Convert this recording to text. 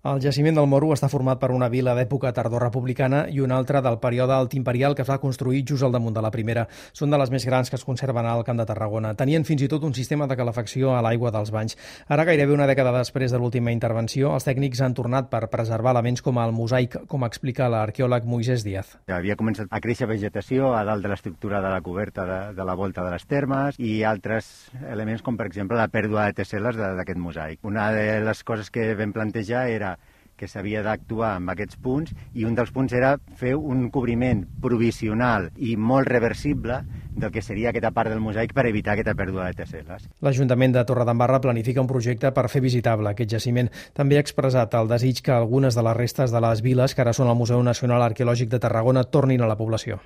El jaciment del Moro està format per una vila d'època tardorrepublicana i una altra del període altimperial que es va construir just al damunt de la primera. Són de les més grans que es conserven al Camp de Tarragona. Tenien fins i tot un sistema de calefacció a l'aigua dels banys. Ara, gairebé una dècada després de l'última intervenció, els tècnics han tornat per preservar elements com el mosaic, com explica l'arqueòleg Moisés Díaz. Havia començat a créixer vegetació a dalt de l'estructura de la coberta de la volta de les termes i altres elements com, per exemple, la pèrdua de tessel·les d'aquest mosaic. Una de les coses que vam plantejar era que s'havia d'actuar amb aquests punts i un dels punts era fer un cobriment provisional i molt reversible del que seria aquesta part del mosaic per evitar aquesta pèrdua de tessel·les. L'Ajuntament de Torredembarra planifica un projecte per fer visitable aquest jaciment. També ha expressat el desig que algunes de les restes de les viles que ara són al Museu Nacional Arqueològic de Tarragona tornin a la població.